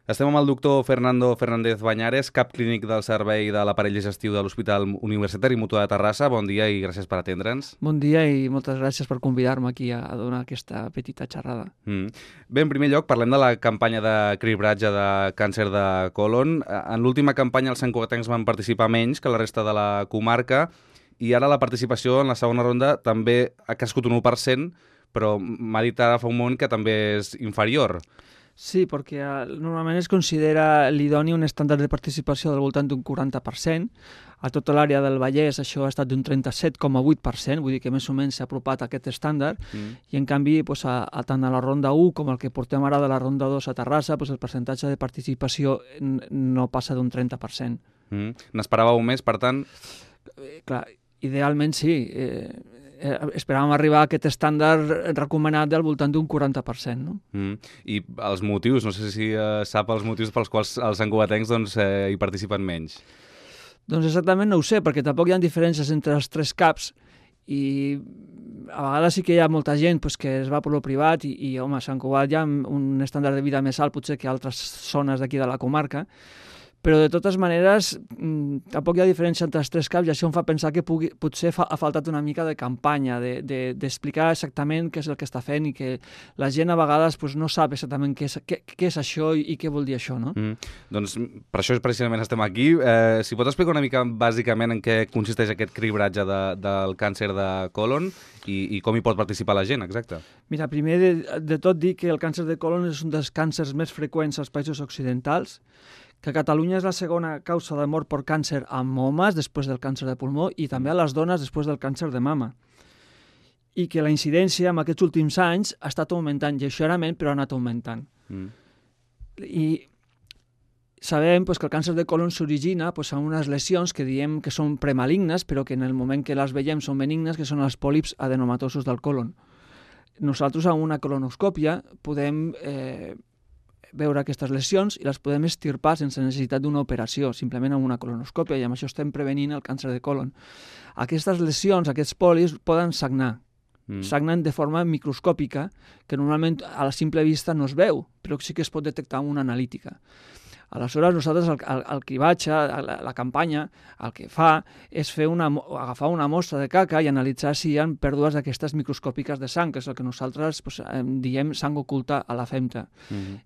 Estem amb el doctor Fernando Fernández Bañares, cap clínic del Servei de l'Aparell Digestiu de l'Hospital Universitari Mutua de Terrassa. Bon dia i gràcies per atendre'ns. Bon dia i moltes gràcies per convidar-me aquí a donar aquesta petita xerrada. Bé, en primer lloc, parlem de la campanya de cribratge de càncer de colon. En l'última campanya els santcugatencs van participar menys que la resta de la comarca i ara la participació en la segona ronda també ha crescut un 1%, però m'ha dit ara fa un moment que també és inferior. Sí, perquè normalment es considera l'idoni un estàndard de participació del voltant d'un 40%. A tota l'àrea del Vallès això ha estat d'un 37,8%, vull dir que més o menys s'ha apropat a aquest estàndard, i en canvi tant a la ronda 1 com el que portem ara de la ronda 2 a Terrassa, el percentatge de participació no passa d'un 30%. N'esperàveu més, per tant? Clar, idealment sí. Esperàvem arribar a aquest estàndard recomanat del voltant d'un 40%. No? I els motius, no sé si sap els motius pels quals els santcugatencs hi participen menys. Doncs exactament no ho sé, perquè tampoc hi ha diferències entre els tres CAPs i a vegades sí que hi ha molta gent que es va per lo privat i home, a Sant Cugat hi ha un estàndard de vida més alt potser que altres zones d'aquí de la comarca, però de totes maneres tampoc hi ha diferència entre els tres CAPs i això em fa pensar que potser ha faltat una mica de campanya, d'explicar exactament què és el que està fent i que la gent a vegades no sap exactament què és això i què vol dir això. No? Doncs per això precisament estem aquí. Si pots explicar una mica bàsicament en què consisteix aquest cribratge del càncer de colon i com hi pot participar la gent, exacte. Mira, primer de tot dir que el càncer de colon és un dels càncers més freqüents als països occidentals, que a Catalunya és la segona causa de mort per càncer en homes després del càncer de pulmó i també a les dones després del càncer de mama. I que la incidència en aquests últims anys ha estat augmentant lleugerament, però ha anat augmentant. I sabem que el càncer de colon s'origina amb unes lesions que diem que són premalignes, però que en el moment que les veiem són benignes, que són els pòlips adenomatosos del colon. Nosaltres amb una colonoscòpia podem veure aquestes lesions i les podem extirpar sense necessitat d'una operació, simplement amb una colonoscòpia, i amb això estem prevenint el càncer de colon. Aquestes lesions, aquests pòlips, poden sagnar. Sagnen de forma microscòpica, que normalment a la simple vista no es veu, però sí que es pot detectar amb una analítica. Aleshores, nosaltres el cribatge, la campanya, el que fa és agafar una mostra de caca i analitzar si hi ha pèrdues d'aquestes microscòpiques de sang, que és el que nosaltres diem sang oculta a la femta.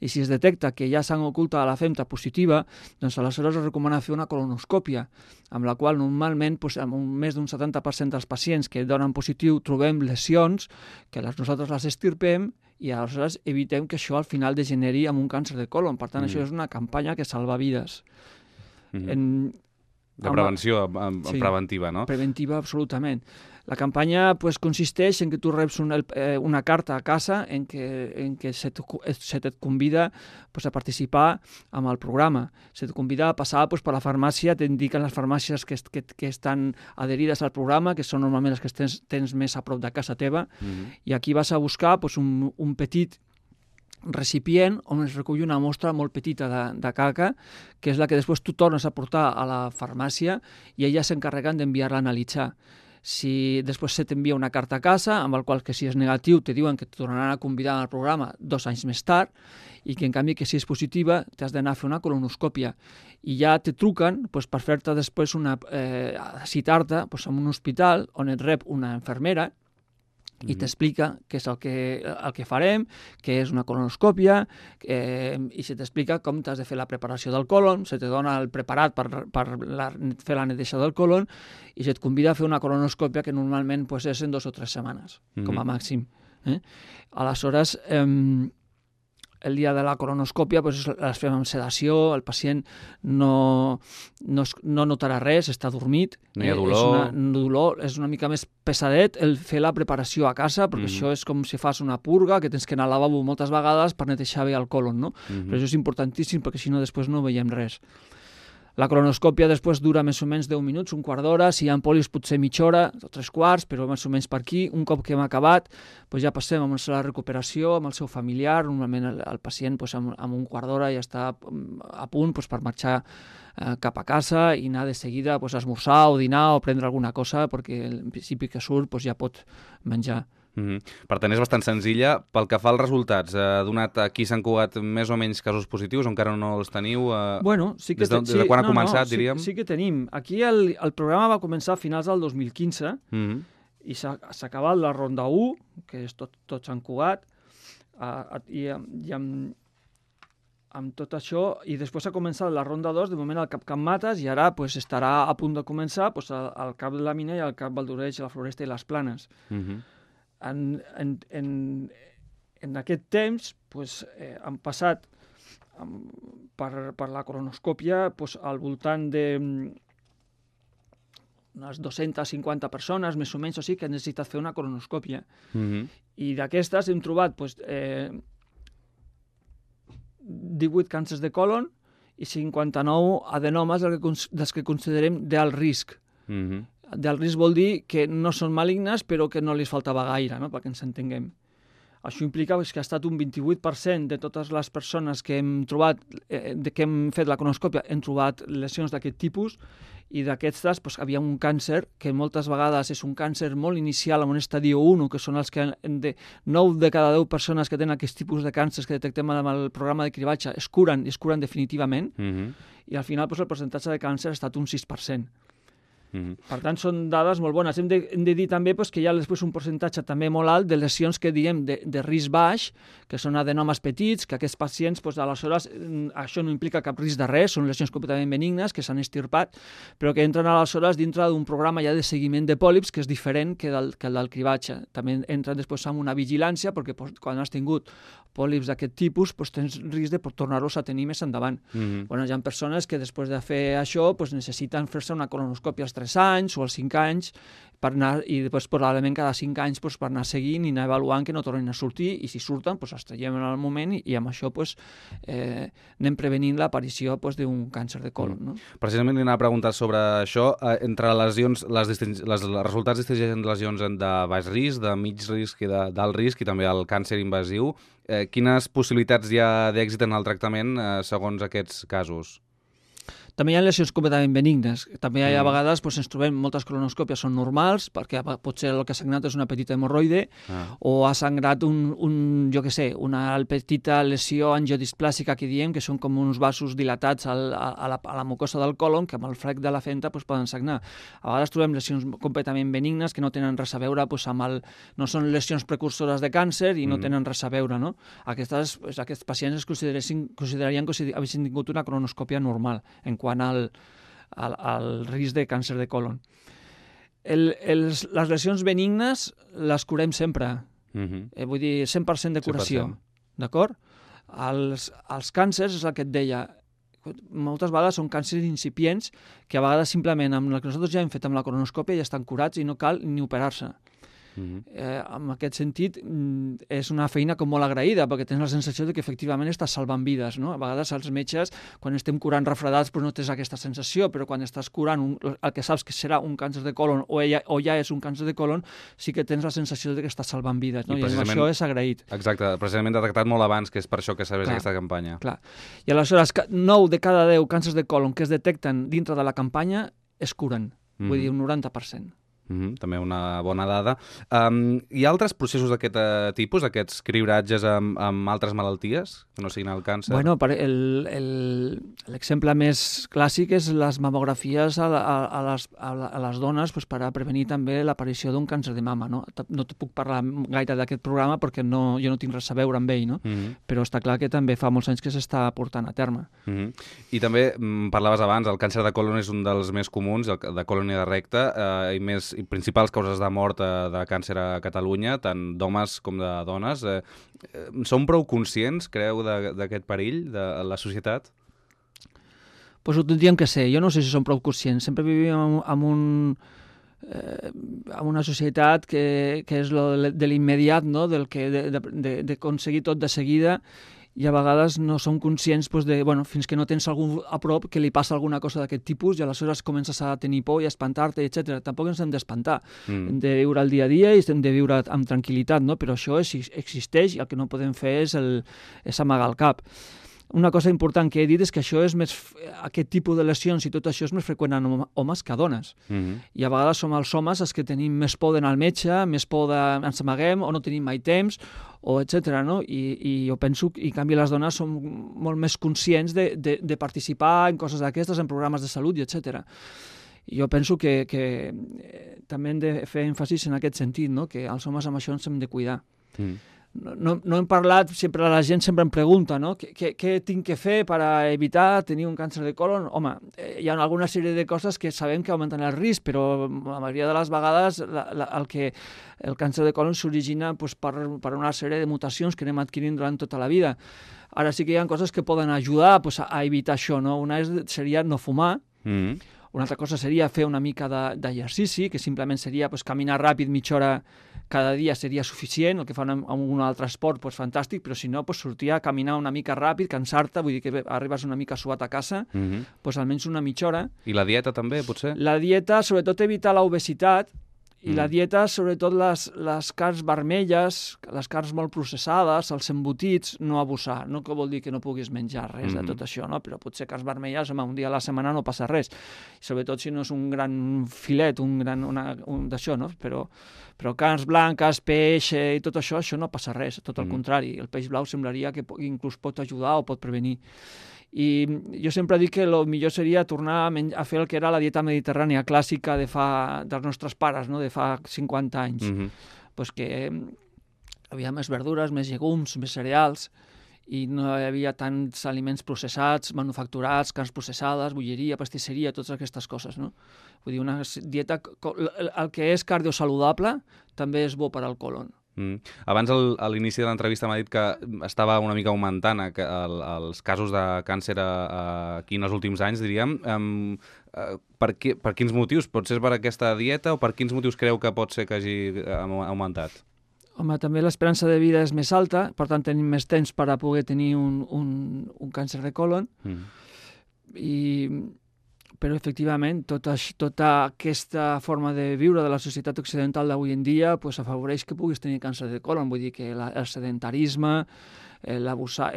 I si es detecta que hi ha sang oculta a la femta positiva, doncs aleshores es recomana fer una colonoscòpia, amb la qual normalment amb més d'un 70% dels pacients que donen positiu trobem lesions, que nosaltres les extirpem i aleshores evitem que això al final degeneri en un càncer de colon. Per tant, això és una campanya que salva vides. De prevenció, preventiva, no? Preventiva, absolutament. La campanya consisteix en que tu reps una carta a casa en què se et convida a participar amb el programa. Se et convida a passar per la farmàcia, t'indiquen les farmàcies que estan adherides al programa, que són normalment les que tens més a prop de casa teva, i aquí vas a buscar un petit recipient on es recull una mostra molt petita de caca, que és la que després tu tornes a portar a la farmàcia i elles s'encarreguen d'enviar-la a analitzar. Si després se t'envia una carta a casa, amb el qual que si és negatiu te diuen que et tornaran a convidar al programa 2 anys més tard, i que en canvi que si és positiva t'has d'anar a fer una colonoscòpia. I ja te truquen per fer-te després citar-te en un hospital on et rep una infermera i t'explica què és el que farem, què és una colonoscòpia, i se t'explica com t'has de fer la preparació del colon, se te dona el preparat per fer la neteja del colon i se't convida a fer una colonoscòpia que normalment és en 2 o 3 setmanes, com a màxim. Aleshores, el dia de la colonoscòpia les fem amb sedació, el pacient no notarà res, està dormit. No hi ha dolor. És una mica més pesadet el fer la preparació a casa, perquè això és com si fas una purga, que tens que anar al lavabo moltes vegades per netejar bé el colon, no? Però això és importantíssim perquè si no després no veiem res. La colonoscòpia després dura més o menys 10 minuts, un quart d'hora, si hi ha pòlips potser mitja hora o 3/4, però més o menys per aquí. Un cop que hem acabat, ja passem amb la recuperació, amb el seu familiar. Normalment el pacient amb un quart d'hora ja està a punt per marxar cap a casa i anar de seguida a esmorzar o dinar o prendre alguna cosa, perquè en principi que surt ja pot menjar. Per tant, és bastant senzilla. Pel que fa als resultats, ha donat aquí Sant Cugat més o menys casos positius, o encara no els teniu? Bueno, sí que... Des de quan ha començat, diríem? Sí que tenim. Aquí el programa va començar a finals del 2015 i s'ha acabat la ronda 1, que és tot Sant Cugat, i amb tot això, i després ha començat la ronda 2, de moment al Cap Can Mates, i ara pues, estarà a punt de començar pues, al Cap de la Mina i al Cap Valdoreig, la Floresta i les Planes. En aquest temps pues, han passat per la colonoscòpia pues, al voltant de unes 250 persones, més o menys, o sigui, que han necessitat fer una colonoscòpia. I d'aquestes hem trobat pues, 18 càncers de colon i 59 adenomes dels que considerem d'alt risc. D'alt risc vol dir que no són malignes però que no li faltava gaire, no? Perquè ens entenguem. Això implica que ha estat un 28% de totes les persones que hem trobat, que hem fet la colonoscòpia, hem trobat lesions d'aquest tipus, i d'aquestes pues, havia un càncer que moltes vegades és un càncer molt inicial en un estadi 1, que són els que 9 de cada 10 persones que tenen aquest tipus de càncers que detectem amb el programa de cribatge es curen definitivament, i al final pues, el percentatge de càncer ha estat un 6%. Per tant, són dades molt bones. Hem de dir també pues, que hi ha després un percentatge també molt alt de lesions que diem de risc baix, que són adenomes petits, que aquests pacients, pues, aleshores, això no implica cap risc de res, són lesions completament benignes, que s'han estirpat, però que entren aleshores dintre d'un programa ja de seguiment de pòlips, que és diferent que el del cribatge. També entren després amb una vigilància, perquè pues, quan has tingut pòlips d'aquest tipus, pues, tens risc de tornar-los a tenir més endavant. Bueno, hi ha persones que després de fer això pues, necessiten fer-se una colonoscòpia als 3 anys o als 5 anys per anar, i després probablement cada 5 anys pues, per anar seguint i anar avaluant que no tornin a sortir, i si surten pues, els traiem en el moment i amb això pues, anem prevenint l'aparició pues, d'un càncer de colon. No? Precisament li anava a preguntar sobre això. Entre lesions, els resultats distingeixen lesions de baix risc, de mig risc i d'alt risc, i també el càncer invasiu. Quines possibilitats hi ha d'èxit en el tractament segons aquests casos? També hi ha lesions completament benignes. També hi ha a vegades doncs, ens trobem moltes colonoscòpies són normals, perquè potser el que ha sangrat és una petita hemorroide, o ha sangrat una petita lesió angiodisplàsica que diem, que són com uns vasos dilatats a la mucosa del colon, que amb el frec de la fenta doncs, poden sagnar. A vegades trobem lesions completament benignes que no tenen res a veure doncs, no són lesions precursores de càncer i no tenen res a veure. No? Aquests pacients es considerarien que haguessin tingut una colonoscòpia normal en quant al risc de càncer de colon. Les lesions benignes les curem sempre. Vull dir, 100% de curació. 100%. D'acord? Els càncers, és el que et deia, moltes vegades són càncers incipients que a vegades simplement amb el que nosaltres ja hem fet amb la colonoscòpia ja estan curats i no cal ni operar-se. En aquest sentit és una feina com molt agraïda, perquè tens la sensació de que efectivament estàs salvant vides, no? A vegades els metges, quan estem curant refredats, doncs no tens aquesta sensació, però quan estàs curant el que saps que serà un càncer de colon o ja és un càncer de colon, sí que tens la sensació de que estàs salvant vides, no? I això és agraït. Exacte, precisament detectat molt abans, que és per això que serveix aquesta campanya. Clar. I aleshores 9 de cada 10 càncers de colon que es detecten dintre de la campanya es curen, vull dir un 90%. També una bona dada. Hi ha altres processos d'aquest tipus, aquests cribratges amb altres malalties, que no siguin el càncer? Bueno, l'exemple més clàssic és les mamografies a les dones per a prevenir també l'aparició d'un càncer de mama. No te puc parlar gaire d'aquest programa perquè jo no tinc res a veure amb ell, no? Però està clar que també fa molts anys que s'està portant a terme. I també parlaves abans, el càncer de colon és un dels més comuns, de colon i de recte, i principals causes de mort de càncer a Catalunya, tant d'homes com de dones. Som prou conscients, creu, d'aquest perill de la societat? Pues ho tindríem que ser. Jo no sé si som prou conscients. Sempre vivim en una societat que és de l'immediat, no? D'aconseguir tot de seguida, i a vegades no som conscients fins que no tens algú a prop que li passa alguna cosa d'aquest tipus i aleshores comences a tenir por i a espantar-te, etc. Tampoc ens hem d'espantar. Hem de viure el dia a dia i hem de viure amb tranquil·litat, no? Però això existeix i el que no podem fer és amagar el cap. una cosa important que he dit és que aquest tipus de lesions i tot això és més freqüent en homes que a dones. I a vegades som els homes els que tenim més por d'anar al metge, més por ens amaguem o no tenim mai temps, o etc. No? I jo penso que, en canvi, les dones són molt més conscients de participar en coses d'aquestes, en programes de salut, etc. I jo penso que també hem de fer èmfasis en aquest sentit, no? Que els homes amb això ens hem de cuidar. No hem parlat, sempre la gent sempre em pregunta, no? Què tinc que fer per evitar tenir un càncer de colon? Home, hi ha alguna sèrie de coses que sabem que augmenten el risc, però la majoria de les vegades el càncer de colon s'origina per una sèrie de mutacions que anem adquirint durant tota la vida. Ara sí que hi ha coses que poden ajudar a evitar això, no? Una seria no fumar, una altra cosa seria fer una mica d'exercici, que simplement seria caminar ràpid mitja hora cada dia seria suficient, el que fa en un altre esport, fantàstic, però si no, sortir a caminar una mica ràpid, cansar-te, vull dir que arribes una mica suat a casa, almenys una mitja hora. I la dieta també, potser? La dieta, sobretot evitar l'obesitat, i la dieta, sobretot les carns vermelles, les carns molt processades, els embotits, no abusar. No que vol dir que no puguis menjar res de tot això, no? Però potser carns vermelles, un dia a la setmana no passa res. Sobretot si no és un gran filet, d'això, no? Però carns blanques, peix i tot això no passa res, tot el contrari. El peix blau semblaria que inclús pot ajudar o pot prevenir. I jo sempre dic que el millor seria tornar a fer el que era la dieta mediterrània clàssica dels nostres pares, no? De fa 50 anys. Pues que hi havia més verdures, més llegums, més cereals, i no hi havia tants aliments processats, manufacturats, carns processades, bolleria, pastisseria, totes aquestes coses, no? Vull dir, una dieta... El que és cardiosaludable també és bo per al colon. Abans, a l'inici de l'entrevista, m'ha dit que estava una mica augmentant els casos de càncer aquí en els últims anys, diríem. Per quins motius? Pot ser per aquesta dieta o per quins motius creu que pot ser que hagi augmentat? Home, també l'esperança de vida és més alta, per tant tenim més temps per a poder tenir un càncer de colon. Però, efectivament, tota aquesta forma de viure de la societat occidental d'avui en dia afavoreix que puguis tenir càncer de colon. Vull dir que el sedentarisme, abusar,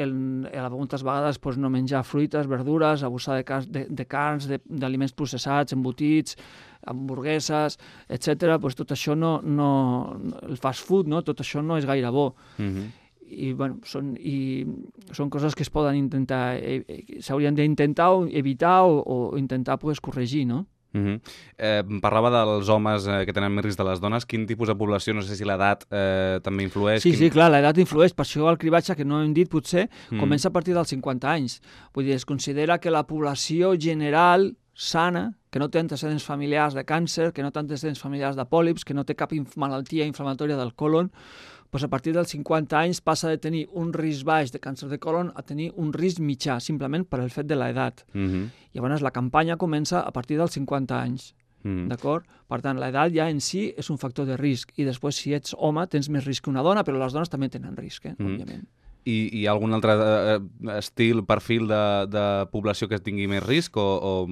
moltes vegades no menjar fruites, verdures, abusar de carns, d'aliments processats, embotits, hamburgueses, etc. Tot això el fast food, tot això no és gaire bo. I són coses que es poden intentar, s'haurien d'intentar evitar o intentar corregir, no? Parlava dels homes que tenen més risc de les dones. Quin tipus de població, no sé si l'edat també influeix? Sí, clar, l'edat influeix. Per això el cribatge, que no hem dit potser, comença a partir dels 50 anys. Vull dir, es considera que la població general sana, que no té antecedents familiars de càncer, que no té antecedents familiars de pòlips, que no té cap malaltia inflamatòria del colon, a partir dels 50 anys passa de tenir un risc baix de càncer de colon a tenir un risc mitjà, simplement per el fet de l'edat. Llavors la campanya comença a partir dels 50 anys. D'acord? Per tant, l'edat ja en si és un factor de risc. I després, si ets home, tens més risc que una dona, però les dones també tenen risc, òbviament. I hi ha algun altre perfil de població que tingui més risc o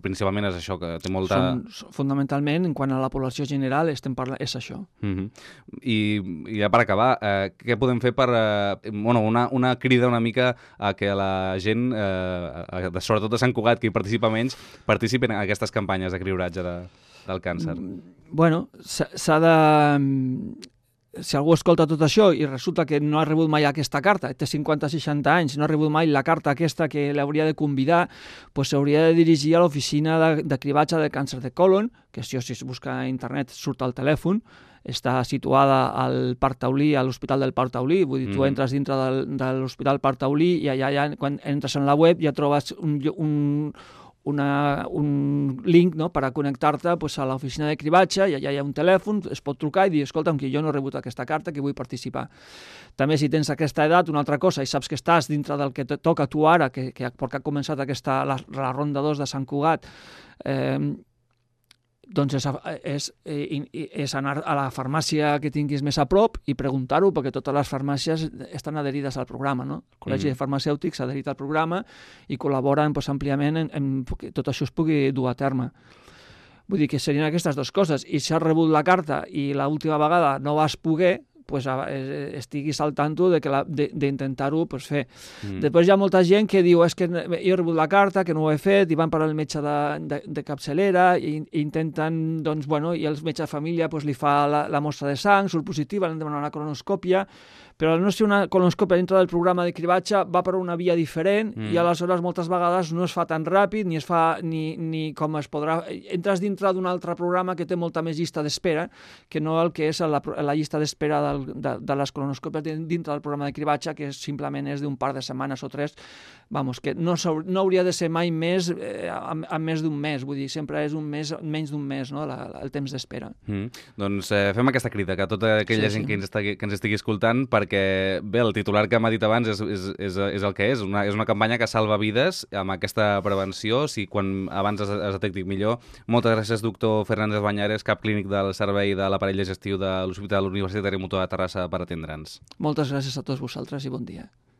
principalment és això, que té molta... Fundamentalment, en quant a la població general, estem parlant, és això. I ja per acabar, què podem fer per... una crida una mica a que la gent, sobretot de Sant Cugat, que hi participa menys, participin en aquestes campanyes de cribratge del càncer? S'ha de... Si algú escolta tot això i resulta que no ha rebut mai aquesta carta, té 50-60 anys, no ha rebut mai la carta aquesta que l'hauria de convidar, s'hauria de dirigir a l'oficina de cribatge de càncer de colon, que si es busca a internet surt al telèfon, està situada al Parc Taulí, a l'Hospital del Parc Taulí. Vull dir, tu entres dintre de l'Hospital Parc Taulí i allà, quan entres en la web, ja trobes un link, no?, per a connectar-te a l'oficina de cribatge, i allà hi ha un telèfon, es pot trucar i dir, escolta'm, que jo no he rebut aquesta carta, que vull participar. També, si tens aquesta edat, una altra cosa, i saps que estàs dintre del que et toca a tu ara, perquè ha començat la ronda 2 de Sant Cugat, doncs és anar a la farmàcia que tinguis més a prop i preguntar-ho, perquè totes les farmàcies estan adherides al programa, no? El Col·legi de Farmacèutics s'ha adherit al programa i col·laboren àmpliament en que tot això es pugui dur a terme. Vull dir que serien aquestes dues coses. I si has rebut la carta i l'última vegada no vas poder, pues, estiguis al tanto d'intentar-ho pues, fer. Després hi ha molta gent que diu és que jo he rebut la carta, que no ho he fet, i van per al metge de capçalera i intenten, doncs, bueno, i el metge de família pues, li fa la mostra de sang, surt positiva, han de demanar una colonoscòpia, però al no ser una colonoscòpia dintre del programa de cribatge va per una via diferent i aleshores moltes vegades no es fa tan ràpid ni es fa ni com es podrà... Entres dintre d'un altre programa que té molta més llista d'espera que no el que és la llista d'espera de les colonoscòpies dintre del programa de cribatge, que simplement és d'un par de setmanes o 3, vamos, que no hauria de ser mai més a més d'un mes, vull dir, sempre és menys d'un mes, no? El temps d'espera. Doncs fem aquesta crida que tota aquella gent que ens estigui escoltant, perquè bé, el titular que m'ha dit abans és el que és una campanya que salva vides amb aquesta prevenció, si quan abans es detecti millor. Moltes gràcies, doctor Fernández Bañares, cap clínic del Servei de l'Aparell Digestiu de l'Hospital Universitari Mutua de Terrassa, per atendre'ns. Moltes gràcies a tots vosaltres i bon dia.